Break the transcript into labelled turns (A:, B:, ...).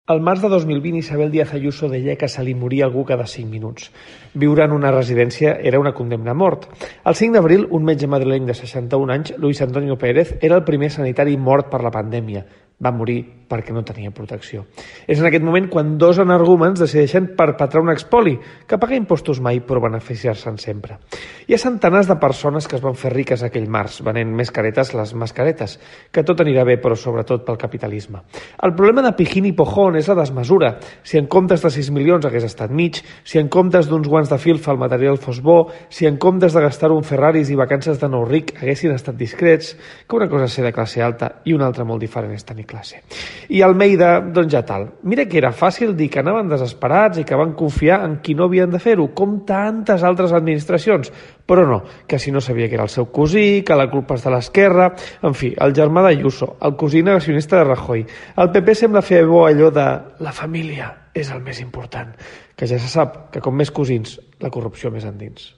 A: Al març de 2020, Isabel Díaz Ayuso deia que se li moria algú cada 5 minuts. Viure en una residència era una condemna a mort. El 5 d'abril, un metge madrileny de 61 anys, Luis Antonio Pérez, era el primer sanitari mort per la pandèmia. Va morir perquè no tenia protecció. És en aquest moment quan dos energúmens decideixen perpetrar un expoli, que paga impostos mai però beneficiar-se'n sempre. Hi ha centenars de persones que es van fer riques aquell març, venent més caretes les mascaretes, que tot anirà bé però sobretot pel capitalisme. El problema de Pijín i Pojón és la desmesura. Si en comptes de 6 milions hagués estat mig, si en comptes d'uns guants de filfa el material fos bo, si en comptes de gastar-ho en Ferraris i vacances de nou ric haguessin estat discrets, que una cosa és ser de classe alta i una altra molt diferent és tenir classe. I Almeida, doncs ja tal. Mira que era fàcil dir que anaven desesperats i que van confiar en qui no havien de fer-ho, com tantes altres administracions. Però no, que si no sabia que era el seu cosí, que la culpa és de l'esquerra... En fi, el germà d'Ayuso, el cosí negacionista de Rajoy. El PP sembla fer bo allò de la família és el més important, que ja se sap que com més cosins, la corrupció més endins.